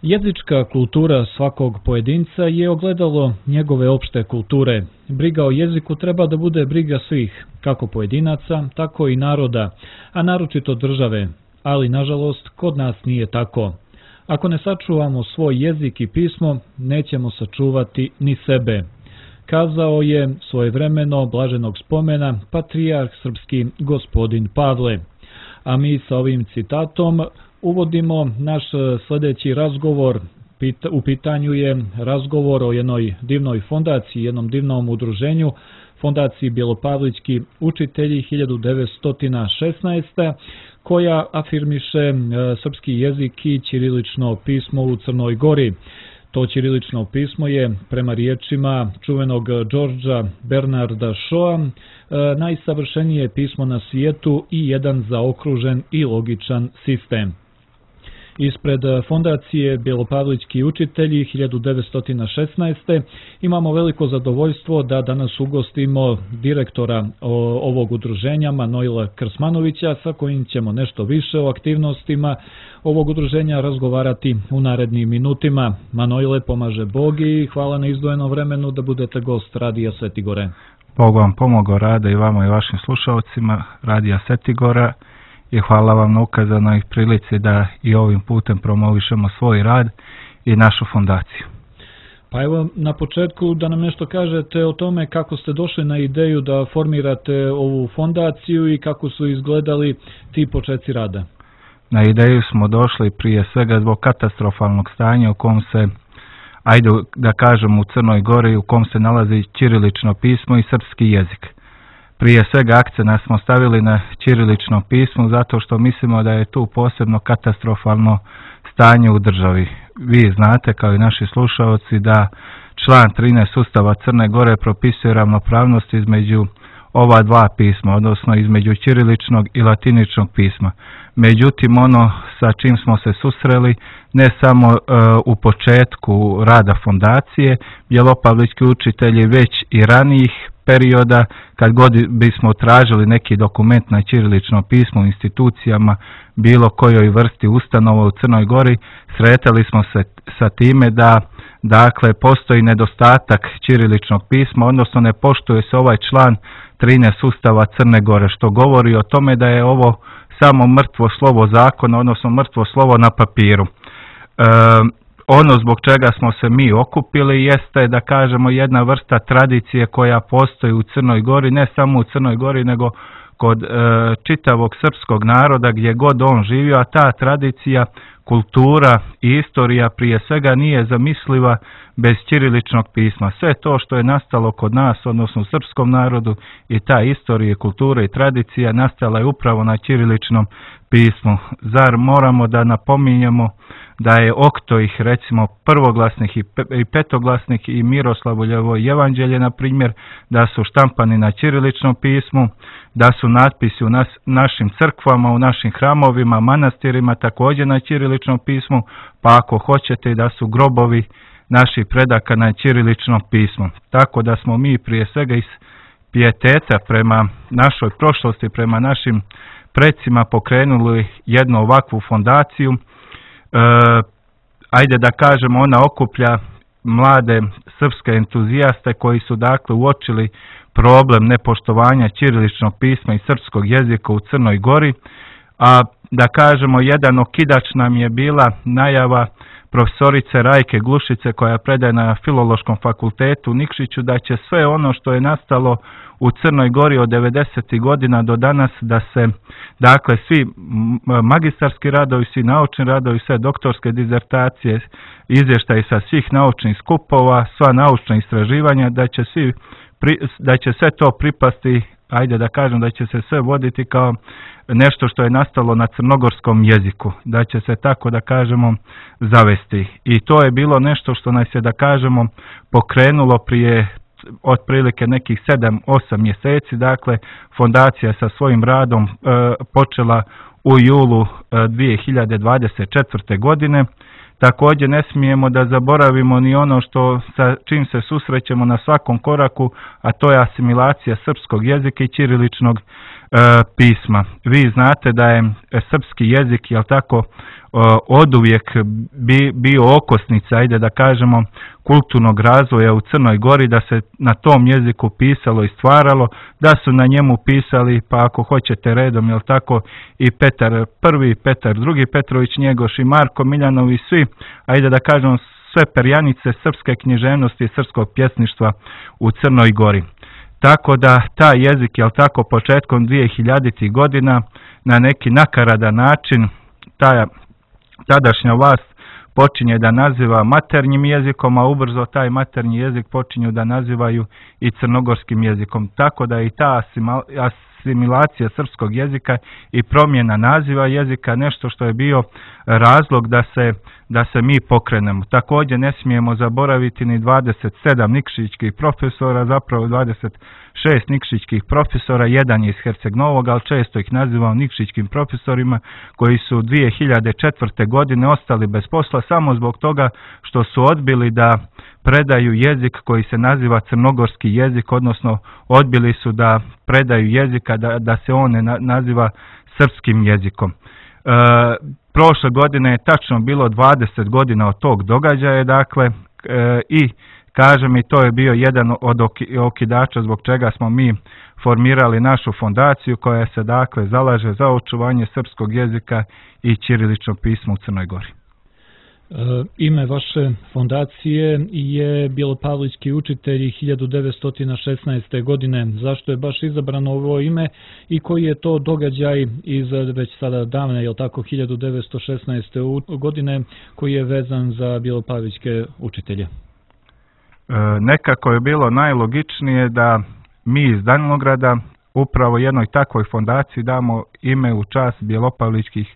Jezička kultura svakog pojedinca je ogledalo njegove opšte kulture. Briga o jeziku treba da bude briga svih, kako pojedinaca, tako i naroda, a naročito države, ali nažalost kod nas nije tako. Ako ne sačuvamo svoj jezik i pismo, nećemo sačuvati ni sebe. Kazao je svojevremeno blaženog spomena patrijarh srpski gospodin Pavle. A mi sa ovim citatom uvodimo naš sljedeći razgovor. U pitanju je razgovor o jednoj divnoj fondaciji, jednom divnom udruženju, fondaciji Bjelopavlički učitelji 1916. koja afirmiše srpski jezik i ćirilično pismo u Crnoj Gori. To ćirilično pismo je, prema riječima čuvenog Đorđa Bernarda Šoa, najsavršenije pismo na svijetu i jedan zaokružen i logičan sistem. Ispred fondacije Bjelopavlički učitelji 1916. imamo veliko zadovoljstvo da danas ugostimo direktora ovog udruženja Manojla Krsmanovića, sa kojim ćemo nešto više o aktivnostima ovog udruženja razgovarati u narednim minutima. Manojle, pomaže Bog i hvala na izdvojenom vremenu da budete gost Radija Svetigore. Bog vam pomogao, Rada, i vama i vašim slušalcima Radija Svetigora, i hvala vam na ukazanoj prilici da i ovim putem promovišemo svoj rad i našu fondaciju. Pa evo, na početku da nam nešto kažete o tome kako ste došli na ideju da formirate ovu fondaciju i kako su izgledali ti početci rada. Na ideju smo došli prije svega zbog katastrofalnog stanja u kom se, ajde da kažem, u Crnoj Gori, u kom se nalazi ćirilično pismo i srpski jezik. Prije svega akcent smo stavili na ćirilično pismo zato što mislimo da je tu posebno katastrofalno stanje u državi. Vi znate, kao i naši slušalci, da član 13 Ustava Crne Gore propisuje ravnopravnost između ova dva pisma, odnosno između ćiriličnog i latiničnog pisma. Međutim, ono sa čim smo se susreli, ne samo u početku rada fondacije Bjelopavlički učitelji, već i ranijih perioda, kad god bismo tražili neki dokument na ćirilično pismo u institucijama, bilo kojoj vrsti ustanova u Crnoj Gori, sretali smo se sa time da postoji nedostatak ćiriličnog pisma, odnosno ne poštuje se ovaj član 13 Ustava Crne Gore, što govori o tome da je ovo samo mrtvo slovo zakona, odnosno mrtvo slovo na papiru. Ono zbog čega smo se mi okupili jeste, da kažemo, jedna vrsta tradicije koja postoji u Crnoj Gori, ne samo u Crnoj Gori, nego kod čitavog srpskog naroda gdje god on živio, a ta tradicija, kultura i istorija prije svega nije zamisliva bez ćiriličnog pisma. Sve to što je nastalo kod nas, odnosno u srpskom narodu, i ta istorija, kultura i tradicija nastala je upravo na ćiriličnom pismu. Zar moramo da napominjemo da je Oktoih, recimo prvoglasnih i petoglasnih i Miroslavljevo evanđelje, na primjer, da su štampani na ćiriličnom pismu, da su natpisi u našim crkvama, u našim hramovima, manastirima također na ćiriličnom pismu, pa ako hoćete da su grobovi naših predaka na ćiriličnom pismu. Tako da smo mi prije svega iz pijeteta prema našoj prošlosti, prema našim precima pokrenuli jednu ovakvu fondaciju. Ajde da kažemo, ona okuplja mlade srpske entuzijaste koji su dakle uočili problem nepoštovanja ćiriličnog pisma i srpskog jezika u Crnoj Gori, a da kažemo, jedan okidač nam je bila najava profesorice Rajke Glušice, koja predaje na Filološkom fakultetu u Nikšiću, da će sve ono što je nastalo u Crnoj Gori od 90. godina do danas, da se dakle svi magistarski radovi, svi naučni radovi, sve doktorske dizertacije, izvještaji sa svih naučnih skupova, sva naučna istraživanja, da će sve to pripasti, ajde da kažem, da će se sve voditi kao nešto što je nastalo na crnogorskom jeziku, da će se, tako da kažemo, zavesti. I to je bilo nešto što nas je, da kažemo, pokrenulo prije otprilike nekih 7-8 mjeseci. Dakle, fondacija sa svojim radom počela u julu 2024. godine. Također ne smijemo da zaboravimo ni ono što sa čim se susrećemo na svakom koraku, a to je asimilacija srpskog jezika i ćiriličnog pisma. Vi znate da je srpski jezik, jel tako, oduvijek bio okosnica, ajde da kažemo, kulturnog razvoja u Crnoj Gori, da se na tom jeziku pisalo i stvaralo, da su na njemu pisali, pa ako hoćete redom, jel tako, i Petar I, Petar II, Petrović Njegoš i Marko Miljanov i svi, ajde da kažemo, sve perjanice srpske književnosti i srpskog pjesništva u Crnoj Gori. Tako da taj jezik, jel tako, početkom 2000. godina na neki nakaradan način tadašnja vlast počinje da naziva maternjim jezikom, a ubrzo taj maternji jezik počinju da nazivaju i crnogorskim jezikom. Tako da i ta asimilacija srpskog jezika i promjena naziva jezika nešto što je bio razlog da se mi pokrenemo. Također ne smijemo zaboraviti ni 27 nikšićkih profesora, zapravo 26 nikšićkih profesora, jedan je iz Herceg Novog, ali često ih nazivamo nikšićkim profesorima, koji su 2004. godine ostali bez posla samo zbog toga što su odbili da predaju jezik koji se naziva crnogorski jezik, odnosno odbili su da predaju jezika da se on ne naziva srpskim jezikom. Prošle godine je tačno bilo 20 godina od tog događaja, dakle, i kažem i to je bio jedan od okidača zbog čega smo mi formirali našu fondaciju koja se dakle zalaže za očuvanje srpskog jezika i ćirilično pismo u Crnoj Gori. Ime vaše fondacije je Bjelopavlički učitelji 1916. godine. Zašto je baš izabrano ovo ime i koji je to događaj iz već sada davne, jel tako, 1916. godine koji je vezan za Bjelopavličke učitelje? Nekako je bilo najlogičnije da mi iz Danilograda upravo jednoj takvoj fondaciji damo ime u čast Bjelopavličkih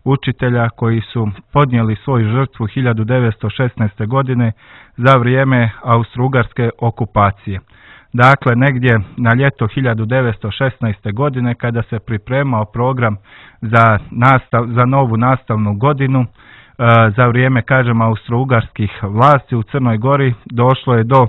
učitelja koji su podnijeli svoju žrtvu 1916. godine za vrijeme austrougarske okupacije. Dakle, negdje na ljeto 1916. godine kada se pripremao program za novu nastavnu godinu, za vrijeme, kažemo, austrougarskih vlasti u Crnoj Gori došlo je do,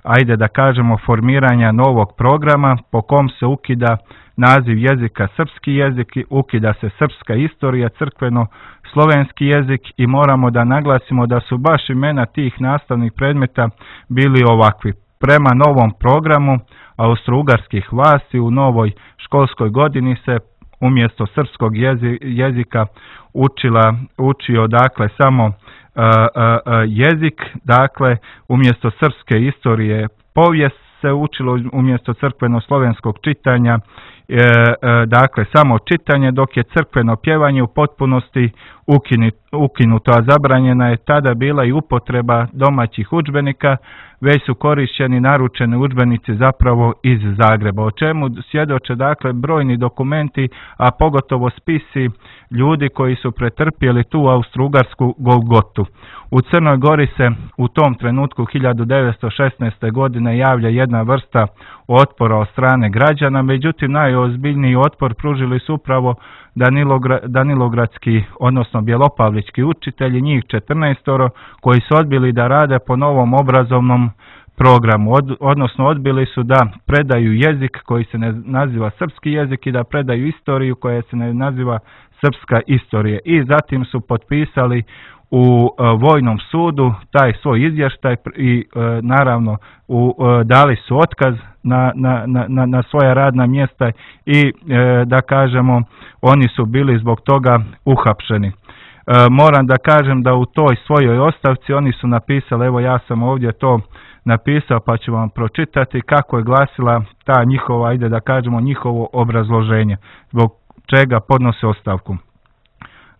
ajde da kažemo, formiranja novog programa po kom se ukida naziv jezika srpski jezik, ukida se srpska istorija, crkveno-slovenski jezik i moramo da naglasimo da su baš imena tih nastavnih predmeta bili ovakvi. Prema novom programu austrougarskih vlasti u novoj školskoj godini se umjesto srpskog jezika učio dakle samo jezik, dakle umjesto srpske istorije povijest se učilo, umjesto crkveno-slovenskog čitanja dakle samo čitanje, dok je crkveno pjevanje u potpunosti ukinuto, a zabranjena je tada bila i upotreba domaćih udžbenika, već su korišteni naručeni udžbenici zapravo iz Zagreba, o čemu svjedoče dakle brojni dokumenti, a pogotovo spisi ljudi koji su pretrpjeli tu austrougarsku golgotu. U Crnoj Gori se u tom trenutku 1916. godine javlja jedna vrsta otpora od strane građana, međutim najozbiljniji otpor pružili su upravo danilogradski, odnosno bjelopavlički učitelji, njih 14, koji su odbili da rade po novom obrazovnom programu, odnosno odbili su da predaju jezik koji se ne naziva srpski jezik i da predaju istoriju koja se ne naziva srpska istorija. I zatim su potpisali u vojnom sudu taj svoj izvještaj i naravno dali su otkaz na svoja radna mjesta i da kažemo oni su bili zbog toga uhapšeni. Moram da kažem da u toj svojoj ostavci oni su napisali, evo ja sam ovdje to napisao pa ću vam pročitati kako je glasila ta njihova, ajde da kažemo njihovo obrazloženje, zbog čega podnose ostavku.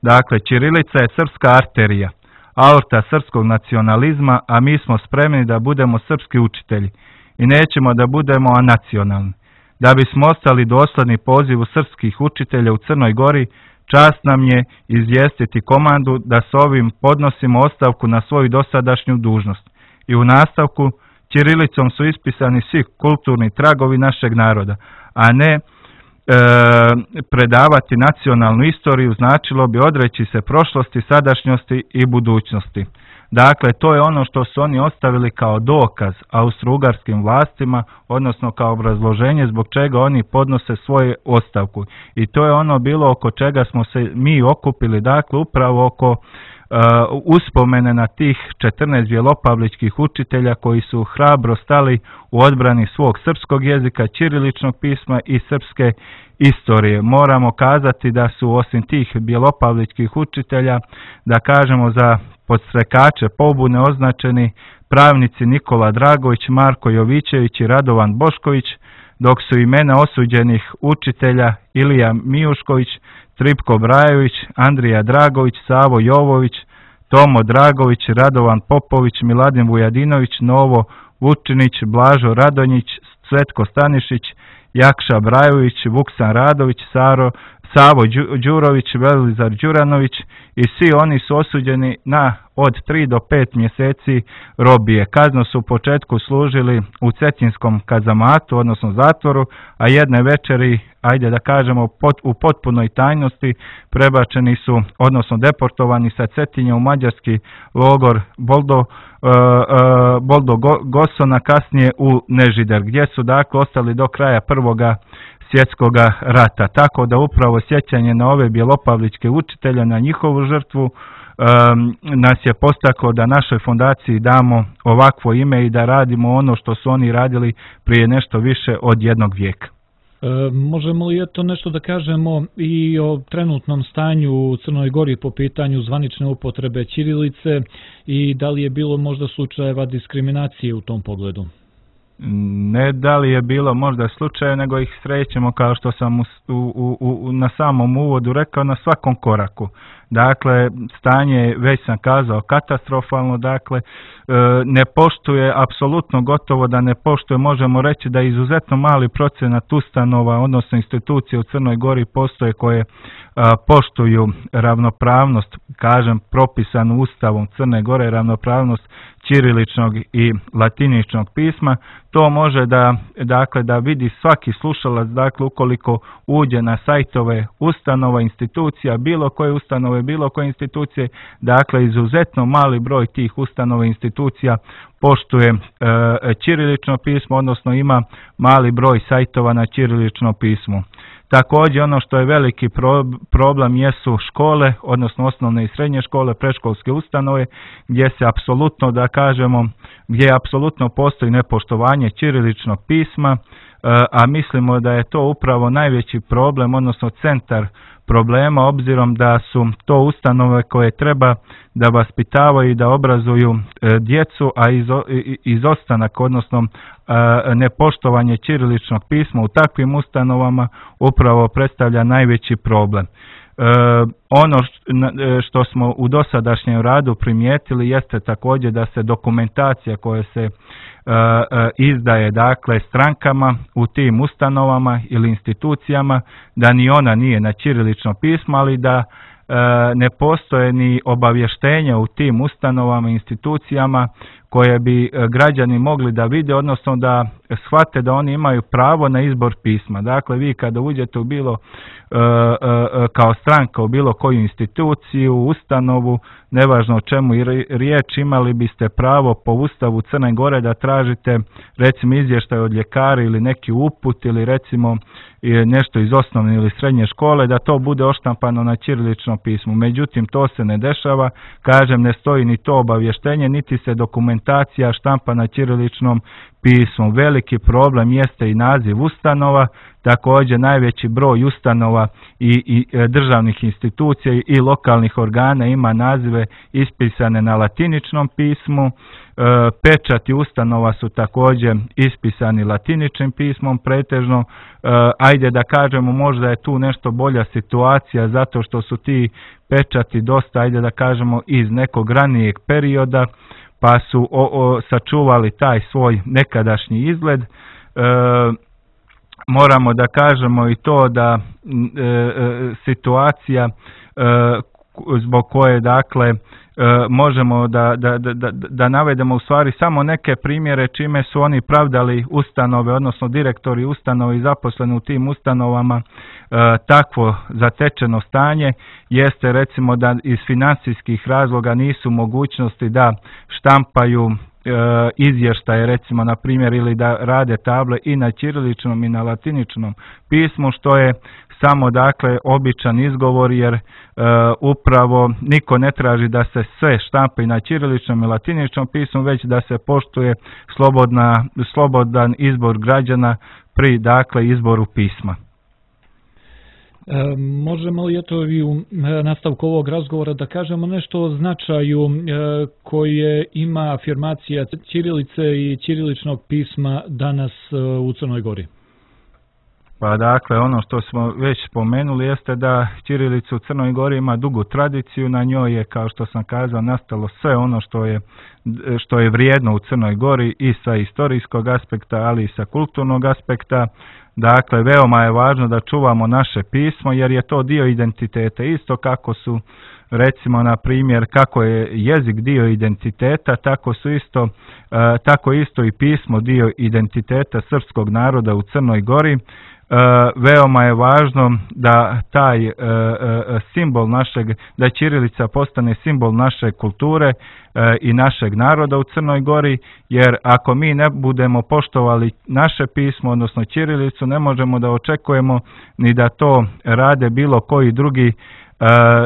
Dakle, ćirilica je srpska arterija, aorta srpskog nacionalizma, a mi smo spremni da budemo srpski učitelji i nećemo da budemo anacionalni. Da bismo ostali dosledni pozivu srpskih učitelja u Crnoj Gori, čast nam je izvijestiti komandu da s ovim podnosimo ostavku na svoju dosadašnju dužnost. I u nastavku, ćirilicom su ispisani svi kulturni tragovi našeg naroda, a ne predavati nacionalnu istoriju značilo bi odreći se prošlosti, sadašnjosti i budućnosti. Dakle, to je ono što su oni ostavili kao dokaz austro-ugarskim vlastima, odnosno kao obrazloženje zbog čega oni podnose svoju ostavku. I to je ono bilo oko čega smo se mi okupili, dakle, upravo oko uspomene na tih 14 bjelopavličkih učitelja koji su hrabro stali u odbrani svog srpskog jezika, ćiriličnog pisma i srpske istorije. Moramo kazati da su osim tih bjelopavličkih učitelja, da kažemo za podstrekače pobune označeni pravnici Nikola Dragović, Marko Jovićević i Radovan Bošković, dok su imena osuđenih učitelja Ilija Mijušković, Tripko Brajović, Andrija Dragović, Savo Jovović, Tomo Dragović, Radovan Popović, Miladin Vujadinović, Novo Vučinić, Blažo Radonjić, Cvetko Stanišić, Jakša Brajović, Vuksan Radović, Savo Đurović, Velizar Đuranović i svi oni su osuđeni na od 3 do 5 mjeseci robije. Kaznu su u početku služili u Cetinskom kazamatu, odnosno zatvoru, a jedne večeri, ajde da kažemo, u potpunoj tajnosti prebačeni su, odnosno deportovani sa Cetinja u mađarski logor Boldo Gosona, kasnije u Nežider, gdje su dakle ostali do kraja Prvoga svjetskog rata. Tako da upravo sjećanje na ove bjelopavličke učitelje, na njihovu žrtvu, nas je postaklo da našoj fondaciji damo ovakvo ime i da radimo ono što su oni radili prije nešto više od jednog vijeka. Možemo li eto nešto da kažemo i o trenutnom stanju u Crnoj Gori po pitanju zvanične upotrebe ćirilice i da li je bilo možda slučajeva diskriminacije u tom pogledu? Ne da li je bilo možda slučaje, nego ih srećemo, kao što sam na samom uvodu rekao, na svakom koraku. Dakle, stanje, već sam kazao, katastrofalno, dakle, ne poštuje, apsolutno gotovo da ne poštuje, možemo reći da je izuzetno mali procenat ustanova, odnosno institucije u Crnoj Gori postoje koje poštuju ravnopravnost, kažem, propisanu Ustavom Crne Gore, ravnopravnost ćiriličnog i latiničnog pisma. To može da vidi svaki slušalac, dakle, ukoliko uđe na sajtove ustanova, institucija, bilo koje ustanove, bilo koje institucije, dakle, izuzetno mali broj tih ustanova i institucija poštuje ćirilično pismo, odnosno ima mali broj sajtova na ćirilično pismo. Također ono što je veliki problem jesu škole, odnosno osnovne i srednje škole, predškolske ustanove, gdje se apsolutno, da kažemo, gdje apsolutno postoji nepoštovanje ćiriličnog pisma, a mislimo da je to upravo najveći problem, odnosno centar problema, obzirom da su to ustanove koje treba da vaspitavaju i da obrazuju djecu, a izostanak, odnosno nepoštovanje ćiriličnog pisma u takvim ustanovama upravo predstavlja najveći problem. Ono što smo u dosadašnjem radu primijetili jeste također da se dokumentacija koja se izdaje, dakle, strankama u tim ustanovama ili institucijama, da ni ona nije na ćirilično pismo, ali da ne postoje ni obavještenja u tim ustanovama i institucijama koje bi građani mogli da vide, odnosno da shvate da oni imaju pravo na izbor pisma. Dakle, vi kada uđete u bilo kao stranka u bilo koju instituciju, ustanovu, nevažno o čemu je riječ, imali biste pravo po Ustavu Crne Gore da tražite, recimo, izvještaj od ljekara ili neki uput ili recimo nešto iz osnovne ili srednje škole, da to bude oštampano na ćiriličnom pismu. Međutim, to se ne dešava, kažem, ne stoji ni to obavještenje, niti se dokumentacija štampa na ćiriličnom pismu. Veliki problem jeste i naziv ustanova, također najveći broj ustanova i državnih institucija i lokalnih organa ima nazive ispisane na latiničnom pismu. Pečati ustanova su također ispisani latiničnim pismom pretežno. Ajde da kažemo, možda je tu nešto bolja situacija zato što su ti pečati dosta, ajde da kažemo, iz nekog ranijeg perioda, pa su sačuvali taj svoj nekadašnji izgled. Moramo da kažemo i to da situacija zbog koje dakle možemo da navedemo u stvari samo neke primjere čime su oni pravdali ustanove, odnosno direktori ustanove i zaposleni u tim ustanovama takvo zatečeno stanje, jeste recimo da iz financijskih razloga nisu mogućnosti da štampaju izvještaje recimo na primjer ili da rade table i na ćiriličnom i na latiničnom pismu, što je samo dakle običan izgovor, jer upravo niko ne traži da se sve štampa i na ćiriličnom i latiničnom pismu, već da se poštuje slobodan izbor građana pri dakle izboru pisma. Možemo li eto i u nastavku ovog razgovora da kažemo nešto o značaju koje ima afirmacija ćirilice i ćiriličnog pisma danas u Crnoj Gori? Pa dakle, ono što smo već spomenuli jeste da ćirilica u Crnoj Gori ima dugu tradiciju, na njoj je, kao što sam kazao, nastalo sve ono što je vrijedno u Crnoj Gori i sa istorijskog aspekta, ali i sa kulturnog aspekta. Dakle, veoma je važno da čuvamo naše pismo, jer je to dio identiteta. Isto kako su, recimo, na primjer, kako je jezik dio identiteta, tako isto i pismo dio identiteta srpskog naroda u Crnoj Gori. Veoma je važno da taj simbol da ćirilica postane simbol naše kulture i našeg naroda u Crnoj Gori, jer ako mi ne budemo poštovali naše pismo, odnosno ćirilicu, ne možemo da očekujemo ni da to rade bilo koji drugi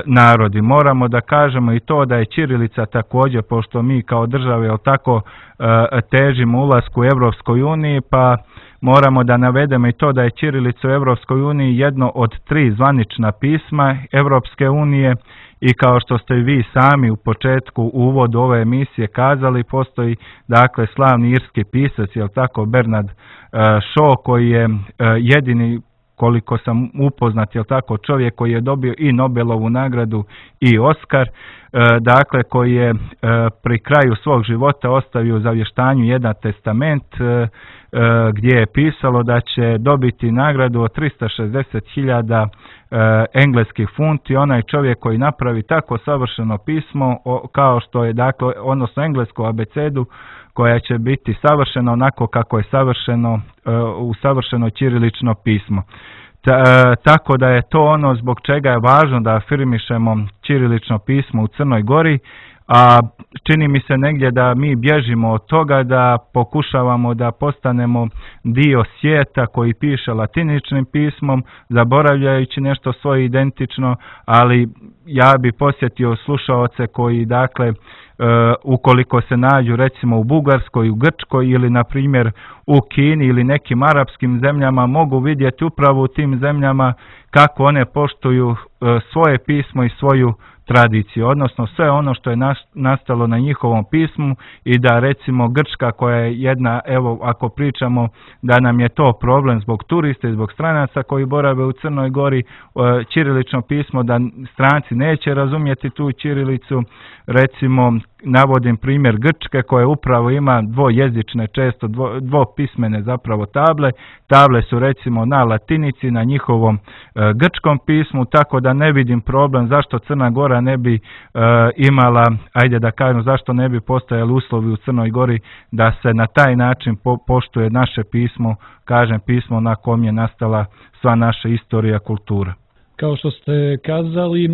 narodi. Moramo da kažemo i to da je ćirilica također, pošto mi kao države tako težimo ulasku u Europskoj uniji, pa moramo da navedemo i to da je ćirilica u Europskoj uniji jedno od 3 zvanična pisma Europske unije, i kao što ste vi sami u početku u uvodu ove emisije kazali, postoji dakle slavni irski pisac, Bernard Shaw, koji je jedini, koliko sam upoznat, čovjek koji je dobio i Nobelovu nagradu i Oskar, dakle koji je pri kraju svog života ostavio u zavještanju jedan testament gdje je pisalo da će dobiti nagradu od 360.000 engleskih funti onaj čovjek koji napravi tako savršeno pismo kao što je, dakle, odnosno englesku abecedu koja će biti savršena onako kako je savršeno ćirilično pismo. Tako da je to ono zbog čega je važno da afirmišemo ćirilično pismo u Crnoj Gori, a čini mi se negdje da mi bježimo od toga, da pokušavamo da postanemo dio svijeta koji piše latiničnim pismom, zaboravljajući nešto svoje identično, ali ja bi posjetio slušaoce koji, dakle, ukoliko se nađu recimo u Bugarskoj, u Grčkoj ili na primjer u Kini ili nekim arapskim zemljama, mogu vidjeti upravo u tim zemljama kako one poštuju svoje pismo i svoju tradiciju, odnosno sve ono što je nastalo na njihovom pismu, i da recimo Grčka, koja je jedna, evo ako pričamo da nam je to problem zbog turista i zbog stranaca koji borave u Crnoj Gori, ćirilično pismo, da stranci neće razumjeti tu ćirilicu. Recimo navodim primjer Grčke koja upravo ima dvojezične, često dvopismene zapravo table. Table su recimo na latinici, na njihovom grčkom pismu, tako da ne vidim problem zašto Crna Gora ne bi imala, ajde da kažem, zašto ne bi postojali uslovi u Crnoj Gori da se na taj način poštuje naše pismo, kažem pismo na kom je nastala sva naša istorija, kultura. Kao što ste kazali,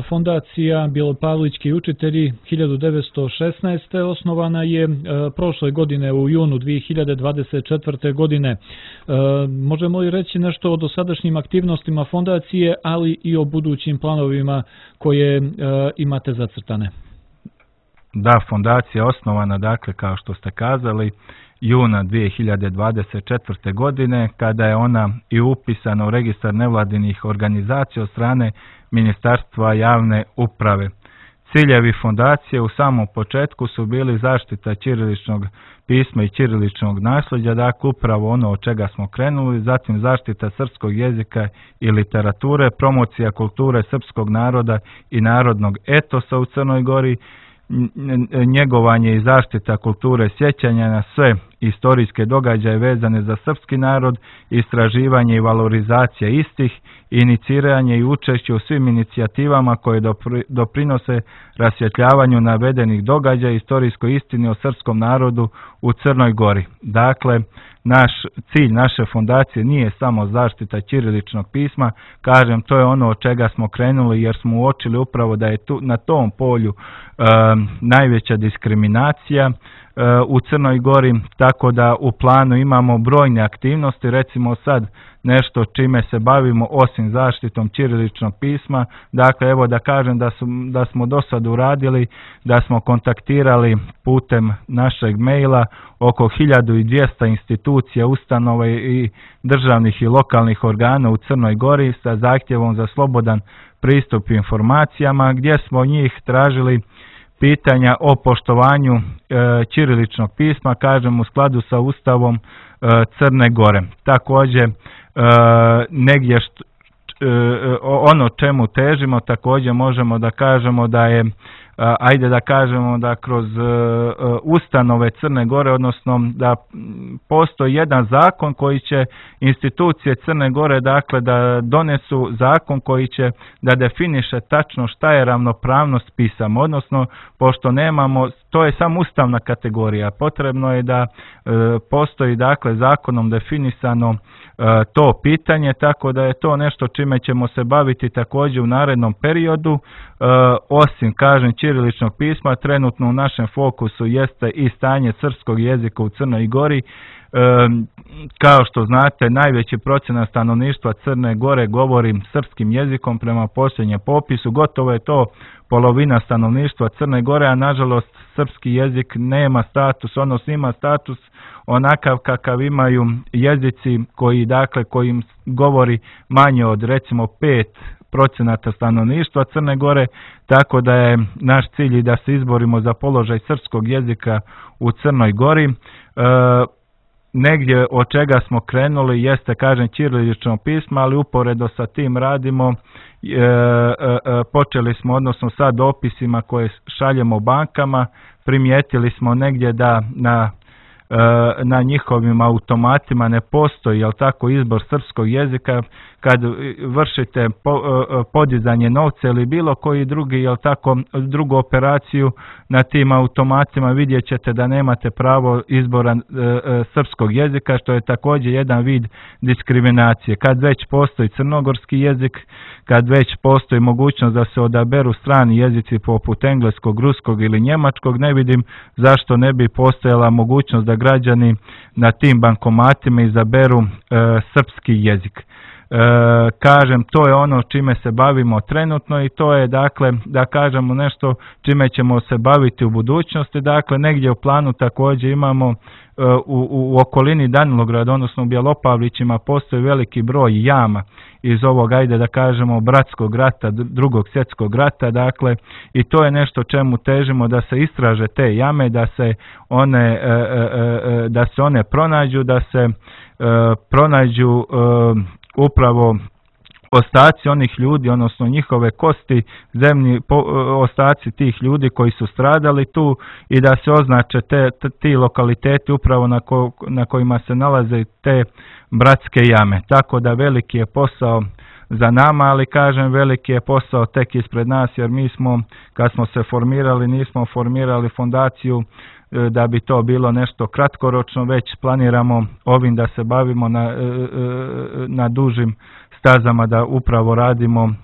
fondacija Bjelopavlički učitelji 1916. osnovana je prošle godine u junu 2024. godine. Možemo li reći nešto o dosadašnjim aktivnostima fondacije, ali i o budućim planovima koje imate zacrtane? Da, fondacija je osnovana, dakle, kao što ste kazali, juna 2024. godine, kada je ona i upisana u registar nevladinih organizacija od strane Ministarstva javne uprave. Ciljevi fondacije u samom početku su bili zaštita ćiriličnog pisma i ćiriličnog nasljeđa, dakle upravo ono od čega smo krenuli, zatim zaštita srpskog jezika i literature, promocija kulture srpskog naroda i narodnog etosa u Crnoj Gori, njegovanje i zaštita kulture sjećanja na sve istorijske događaje vezane za srpski narod, istraživanje i valorizacija istih, iniciranje i učešće u svim inicijativama koje doprinose rasvjetljavanju navedenih događaja i istorijskoj istini o srpskom narodu u Crnoj Gori. Dakle, cilj naše fondacije nije samo zaštita ćiriličnog pisma, kažem, to je ono od čega smo krenuli jer smo uočili upravo da je na tom polju najveća diskriminacija u Crnoj Gori, tako da u planu imamo brojne aktivnosti, recimo sad nešto čime se bavimo osim zaštitom ćiriličnog pisma. Dakle, evo da kažem da smo do sad uradili, da smo kontaktirali putem našeg maila oko 1200 institucija, ustanova i državnih i lokalnih organa u Crnoj Gori sa zahtjevom za slobodan pristup informacijama, gdje smo njih tražili pitanja o poštovanju ćiriličnog pisma, kažem u skladu sa Ustavom Crne Gore. Također, negdje ono čemu težimo, također možemo da kažemo da je, ajde da kažemo da kroz ustanove Crne Gore, odnosno da postoji jedan zakon koji će institucije Crne Gore, dakle da donesu zakon koji će da definiše tačno šta je ravnopravnost pisama, odnosno pošto nemamo, to je samo ustavna kategorija, potrebno je da postoji dakle zakonom definisano to pitanje, tako da je to nešto čime ćemo se baviti također u narednom periodu. Osim, kažem, ćiriličnog pisma, trenutno u našem fokusu jeste i stanje srpskog jezika u Crnoj Gori. Kao što znate, najveći procenat stanovništva Crne Gore govori srpskim jezikom prema posljednjem popisu, gotovo je to polovina stanovništva Crne Gore, a nažalost srpski jezik nema status, odnosno ima status onakav kakav imaju jezici kojim govori manje od recimo 5% stanovništva Crne Gore, tako da je naš cilj i da se izborimo za položaj srpskog jezika u Crnoj Gori. Negdje od čega smo krenuli jeste, kažem, ćirilično pismo, ali uporedo sa tim radimo, počeli smo, odnosno sa dopisima koje šaljemo bankama, primijetili smo negdje da na njihovim automatima ne postoji, jel tako, izbor srpskog jezika. Kad vršite podizanje novca ili bilo koji drugi, jel tako, drugu operaciju na tim automatima, vidjet ćete da nemate pravo izbora srpskog jezika, što je također jedan vid diskriminacije. Kad već postoji crnogorski jezik, kad već postoji mogućnost da se odaberu strani jezici poput engleskog, ruskog ili njemačkog, ne vidim zašto ne bi postojala mogućnost da građani na tim bankomatima izaberu srpski jezik. Kažem, to je ono čime se bavimo trenutno i to je, dakle, da kažemo nešto čime ćemo se baviti u budućnosti. Dakle, negdje u planu također imamo u okolini Danilograda, odnosno u Bjelopavlićima, postoji veliki broj jama iz ovog, ajde da kažemo, bratskog rata, drugog svjetskog rata, dakle, i to je nešto čemu težimo, da se istraže te jame, da se one pronađu, da se pronađu upravo ostaci onih ljudi, odnosno njihove kosti, zemlji, ostaci tih ljudi koji su stradali tu i da se označe ti lokaliteti upravo na kojima se nalaze te bratske jame. Tako da veliki je posao za nama, ali kažem, veliki je posao tek ispred nas, jer mi smo, kad smo se formirali, nismo formirali fondaciju da bi to bilo nešto kratkoročno, već planiramo ovim da se bavimo na dužim stazama, da upravo radimo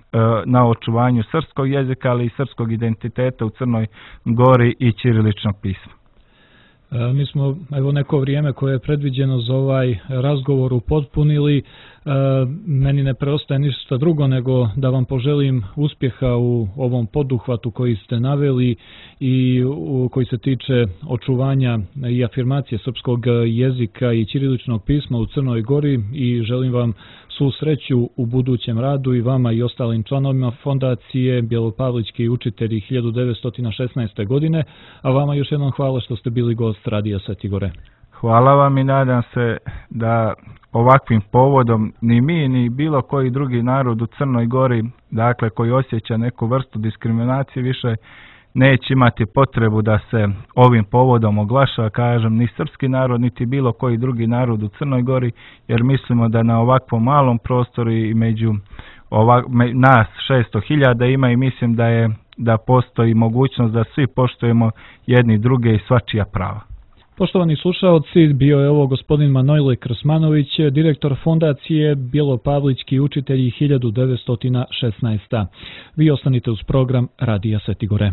na očuvanju srpskog jezika, ali i srpskog identiteta u Crnoj Gori i ćiriličnog pisma. Mi smo neko vrijeme koje je predviđeno za ovaj razgovor upotpunili. Meni ne preostaje ništa drugo nego da vam poželim uspjeha u ovom poduhvatu koji ste naveli i koji se tiče očuvanja i afirmacije srpskog jezika i ćiriličnog pisma u Crnoj Gori, i želim vam svu sreću u budućem radu i vama i ostalim članovima fondacije Bjelopavlićki učitelji 1916. godine, a vama još jednom hvala što ste bili gost Radija Sveti Gore. Hvala vam i nadam se da ovakvim povodom ni mi ni bilo koji drugi narod u Crnoj Gori, dakle koji osjeća neku vrstu diskriminacije, više neće imati potrebu da se ovim povodom oglaša, kažem, ni srpski narod, niti bilo koji drugi narod u Crnoj Gori, jer mislimo da na ovakvom malom prostoru i među nas 600.000 ima i mislim da postoji mogućnost da svi poštujemo jedni druge i svačija prava. Poštovani slušaoci, bio je ovo gospodin Manojle Krsmanović, direktor fondacije Bjelopavlički učitelji 1916. Vi ostanite uz program Radija Svetigore.